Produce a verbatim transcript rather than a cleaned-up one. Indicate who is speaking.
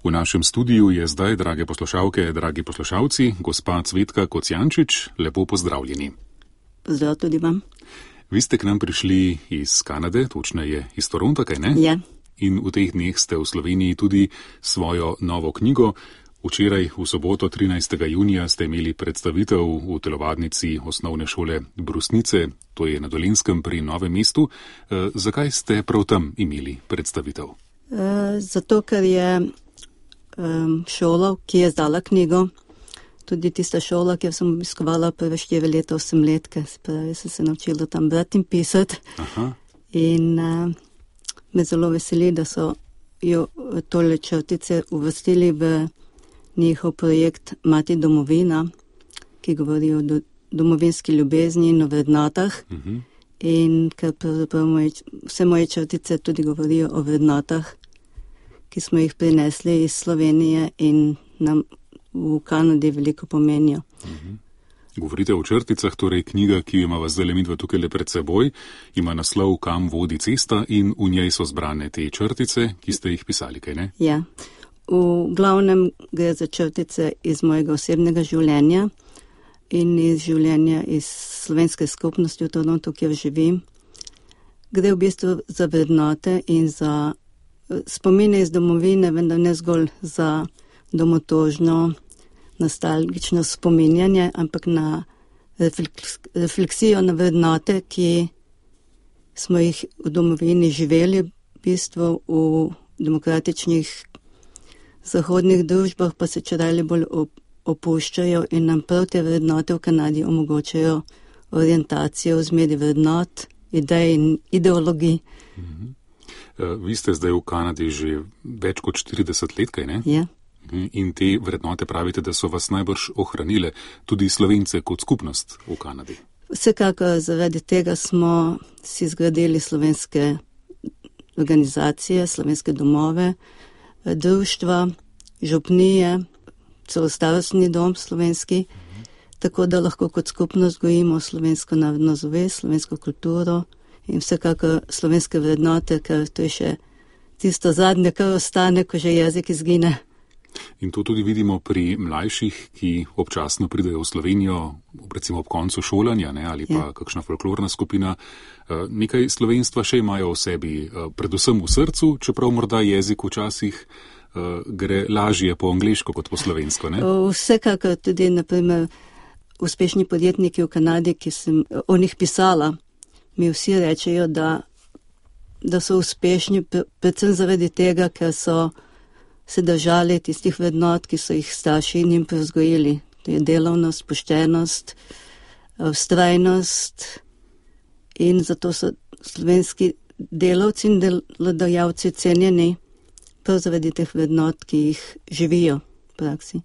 Speaker 1: V našem studiu je zdaj, drage poslušalke, dragi poslušalci, gospa Cvetka Kocijančič, lepo pozdravljeni.
Speaker 2: Pozdrav tudi vam.
Speaker 1: Vi ste k nam prišli iz Kanade, točneje iz Toronta, kaj ne?
Speaker 2: Ja.
Speaker 1: In v teh dneh ste v Sloveniji tudi svojo novo knjigo. Včeraj, v soboto, trinajstega junija, ste imeli predstavitev v telovadnici osnovne šole Brusnice, to je na Dolenjskem pri Novem mestu. E, zakaj ste prav tam imeli predstavitev?
Speaker 2: E, zato, ker je um, šola, ki je izdala knjigo, tudi tista šola, kjer sem obiskovala prve štiri leta, osem let, ker sem se naučila tam brati in pisati.
Speaker 1: Aha.
Speaker 2: In uh, me zelo veseli, da so jo tole črtice uvrstili v njihov projekt Mati domovina, ki govori o do, domovinski ljubezni in o vrednotah. Uh-huh. In ker pravzaprav moje, vse moje črtice tudi govorijo o vrednotah, ki smo jih prinesli iz Slovenije in nam v Kanadi veliko pomenijo.
Speaker 1: Uh-huh. Govorite o črticah, torej knjiga, ki ima vas zdaj midva tukaj le pred seboj, ima naslov Kam vodi cesta in v njej so zbrane te črtice, ki ste jih pisali, kaj ne?
Speaker 2: Ja. V glavnem gre za črtice iz mojega osebnega življenja in iz življenja iz slovenske skupnosti v Torontu, kjer živim. Gre v bistvu za vrednote in za spomine iz domovine, vendar ne zgolj za domotožno, nostalgično spominjanje, ampak na refleksijo na vrednote, ki smo jih v domovini živeli, v bistvu v demokratičnih zahodnih družbah pa se čedalje bolj opuščajo in nam prav te vrednote v Kanadi omogočajo orientacijo v zmedi vrednot, idej in ideologij.
Speaker 1: Mm-hmm. Vi ste zdaj v Kanadi že več kot štirideset let, kaj ne?
Speaker 2: Ja.
Speaker 1: In te vrednote pravite, da so vas najbrž ohranile tudi Slovence kot skupnost v Kanadi.
Speaker 2: Vsekakor zaradi tega smo si zgradili slovenske organizacije, slovenske domove, društva, župnije, celo starostni dom slovenski, mhm. tako da lahko kot skupnost gojimo slovensko narodno zavest, slovensko kulturo in vsekakor slovenske vrednote, ker to je še tisto zadnje, kar ostane, ko že jezik izgine.
Speaker 1: In to tudi vidimo pri mlajših, ki občasno pridejo v Slovenijo, recimo ob koncu šolanja, ne, ali pa ja. kakšna folklorna skupina. Nekaj slovenstva še imajo v sebi, predvsem v srcu, čeprav morda jezik včasih gre lažje po angleško kot po slovensko. Ne?
Speaker 2: Vsekakor tudi, naprimer, uspešni podjetniki v Kanadi, ki sem o njih pisala, mi vsi rečejo, da, da so uspešni predvsem zaradi tega, ker so se držali tistih vrednot, ki so jih starši njim prevzgojili. To je delovnost, poštenost, vztrajnost in zato so slovenski delavci in delodajalci cenjeni prav zaradi teh vrednot, ki jih živijo v praksi.